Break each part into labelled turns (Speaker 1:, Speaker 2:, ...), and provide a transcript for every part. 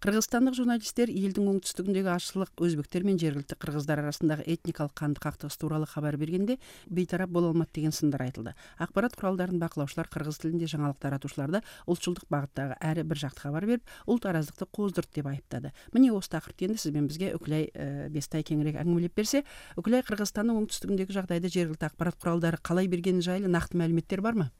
Speaker 1: Кыргызстандык журналисттер элдин оңтүстүгүндөгү ашылык өзбектер менен жергиликтүү кыргыздар арасындагы этникалык канды кактыгыс тууралуу кабар бергенде бейтарап боло алмат деген сындар айтылды. Акпарат куралдарын бакылоочулар кыргыз тилинде жаңылык таратуучуларды улутчулдук багыттагы әрі бир жакты кабар берип, улут араздыкты кооздурду деп айыптады. Міне осы тақырыпты енді сиз менен бизге Үкүлай Бестай кеңирээк әңгимелеп берсе, Үкүлай Кыргызстандын оңтүстүгүндөгү жагдайды жергиликтүү акпарат куралдары калай бергени жайлуу нактуу маалыметтер бармы?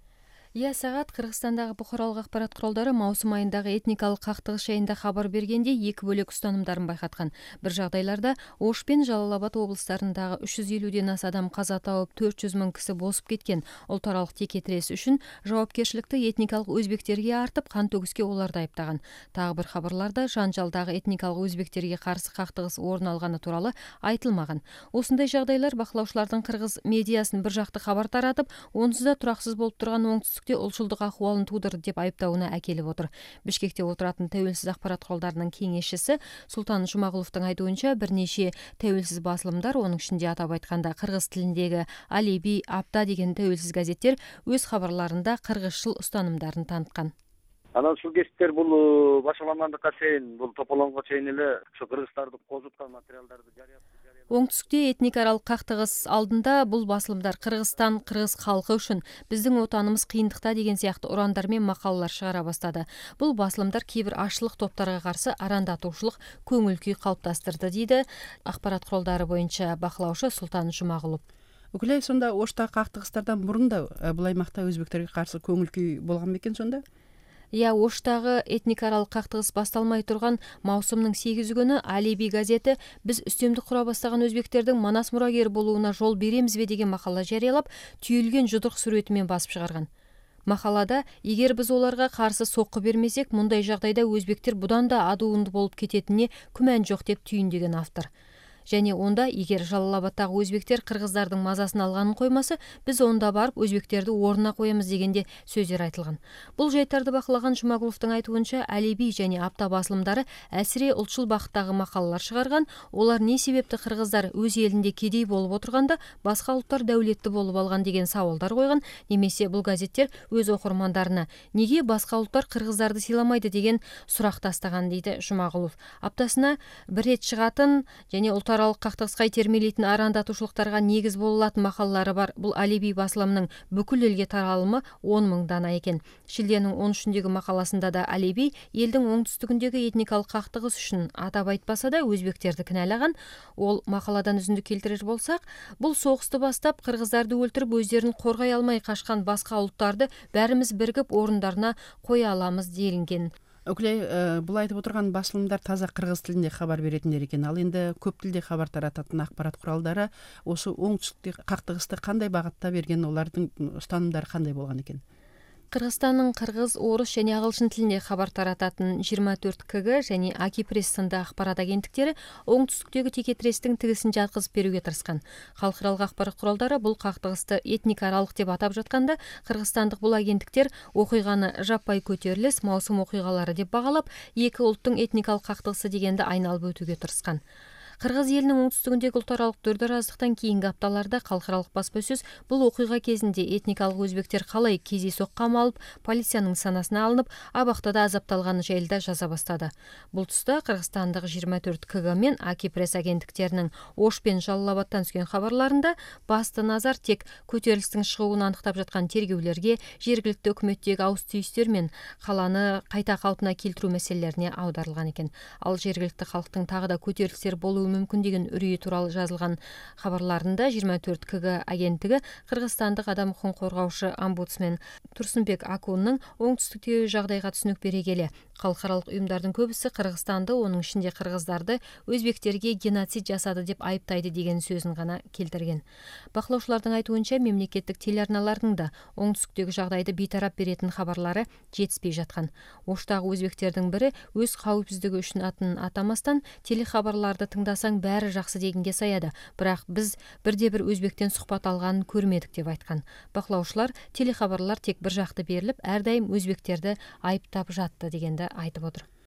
Speaker 2: Сагат Кыргызстандагы бухаралык акпарат куралдары маусум айындагы этникалык кактыгыш жайында кабар бергенде эки бөлөк устанымдарын байкаткан. Бир жагдайларда Ош пен Жалал Абад облустарындагы 350ден аса адам каза тауып, 400 000 киши босуп кеткен. Улут аралык текетирес үчүн жоопкерчиликти этникалык өзбектерге артып, кан төгүскө оларды айыптаган. Дагы бир кабарларда жанжалдагы этникалык өзбектерге каршы кактыгыс орун алганы тууралуу айтылмаган. Ушундай жагдайлар бакылоочулардын кыргыз медиасын бир жакты кабар таратып, онсуз да тураксыз болуп турган оңтүстүк улчулдук акыбалын туудурду деп айыптауына акелип отур. Бишкекте отуратын Тәуелсиз акпарат куралдарынын кеңешчиси Султан Жумагуловдун айтуунча, бир нече тәуелсиз басылымдар, онун ичинде атап айтканда кыргыз тилиндеги Алеби, Апта деген тәуелсиз газеттер өз кабарларында кыргызчыл устанымдарын таныткан.
Speaker 3: Анан ушул кесиптер бул башаламандыкка чейин, бул тополоңго чейин эле ушу кыргыздарды козуткан материалдарды жарыяп.
Speaker 2: Оңтүстүктө этник аралык кактыгыс алдында бул басылымдар Кыргызстан, кыргыз калкы үчүн, биздин отаныбыз кыйындыкта деген сыяктуу урандар менен макалалар чыгара баштады. Бул басылымдар кээ бир ашылык топторго каршы арандатуучулук көңүл күй калыптастырды, дейди акпарат куралдары боюнча бакылоочу Султан Жумагулов.
Speaker 1: Үкүлай, сонда Оштагы кактыгыстардан мурун да бул аймакта өзбектерге каршы көңүл күй болгон бекен сонда?
Speaker 2: Оштагы этник аралык кактыгыс башталмай турган маусумдун 8 күнү Алеби газети биз үстөмдүк кура баштаган өзбектердин Манас мурагери болууна жол беремизби деген макала жарыялап, түйүлгөн жудук сүрөтү менен басып чыгарган. Макалада эгер биз оларга каршы сокку бермесек, мындай жагдайда өзбектер будан да адуунду болуп кететине күмөн жок деп түйүндөгөн автор. Және онда эгер Жалал Абадтагы өзбектер кыргыздардын мазасын алганын коймаса, биз онда барып өзбектерди ордуна коебуз дегенде сөздөр айтылган. Бул жайттарды бакылаган Жумагуловдун айтуунча, Алеби және Апта басылымдары әсире улчул бакыттагы макалалар чыгарган. Олар не себепти кыргыздар өз элинде кедей болуп отурганда башка улуттар дөөлөттүү болуп алган деген сабалдар койгон, немесе бул газеттер өз окурмандарына неге башка улуттар кыргыздарды сыйламайды деген сурак тастаган, дейди Жумагулов. Аптасына бир рет чыгатын және аралык кактыгыска итермелейтин арандатуучулуктарга негиз боло алатын макалалары бар бул Алеби басылымынын бүкүл элге таралымы 10 000 дана экен. Шилденин 13-дөгү макаласында да Алеби элдин оңтүстүгүндөгү этникалык кактыгыс үчүн атап айтпаса да өзбектерди кыналаган. Ол макаладан үзүндү келтирер болсак, бул согусту баштап кыргыздарды өлтүрүп өздөрүн коргой алмай качкан башка улуттарды баарыбыз биригип орундарына кое аламыз делинген.
Speaker 1: Үкүлай, бул айтып отурган басылымдар таза кыргыз тилинде кабар беретиндер экен. Ал энди көп тилде кабар тарататын акпарат куралдары ошо оңтүстүктө кактыгысты кандай багытта берген, олардын устанымдары кандай болгон экен?
Speaker 2: Кыргызстандын кыргыз, орус және агылшын тилинде кабар тарататын 24 КГ және Аки пресс сынды акпарат агенттиктери оңтүстүктөгү текетирестин тигисин жаткызып берүүгө тырышкан. Калкыралык акпарат куралдары бул кактыгысты этник аралык деп атап жатканда, кыргызстандык бул агенттиктер окуйганы жаппай көтөрүлүс маусум окуйгалары деп багалап, эки улуттун этникалык кактыгысы дегенди айналып өтүүгө тырышкан. Кыргыз элинин оңтүстүгүндөгү улут аралык дөраздыктан кийинки апталарда калкыралык баспасөз бул окуйга кезинде этникалык өзбектер калай кездейсоқ камалып, полициянын санасына алынып, абактада азапталганы жайында жаза баштады. Бул туста Кыргызстандык 24 КГ мен Аки пресс агенттиктеринин Ош пен Жалал Абадтан түшкөн кабарларында басты назар тек көтөрүлүштүн чыгуун аныктап жаткан тергөөлөргө, жергиликтүү өкмөттөгү ауыз түйүстөр мен каланы кайта калпына келтирүү маселелерине аударылган экен. Ал жергиликтүү калктын тагы да көтөрүлүштөр болуу мүмкүн деген үрүйү тууралуу жазылган кабарларында 24 КГ агенттиги кыргызстандык адам укугун коргоочу омбудсмен Турсунбек Акуннун оңтүстүктөгү жагдайга түшүнүк бере келе, калкыралык уюмдардын көбүсү Кыргызстанды, онун ичинде кыргыздарды өзбектерге геноцид жасады деп айыптайды деген сөзүн гана келтирген. Бакылоочулардын айтуунча, мемлекеттик телеарналардын да оңтүстүктөгү жагдайды бейтарап беретин кабарлары жетиспей жаткан. Оштагы өзбектердин бири өз кауіпсиздиги үчүн атын атамастан телекабарларды тыңдасаң баары жакшы дегенге саяды, бирок биз бирде-бир өзбектен сухбат алганын көрмөдүк деп айткан. Бакылоочулар телекабарлар тек бир жакты берилип, ар дайым өзбектерди айыптап жатты дегенди айтып отур.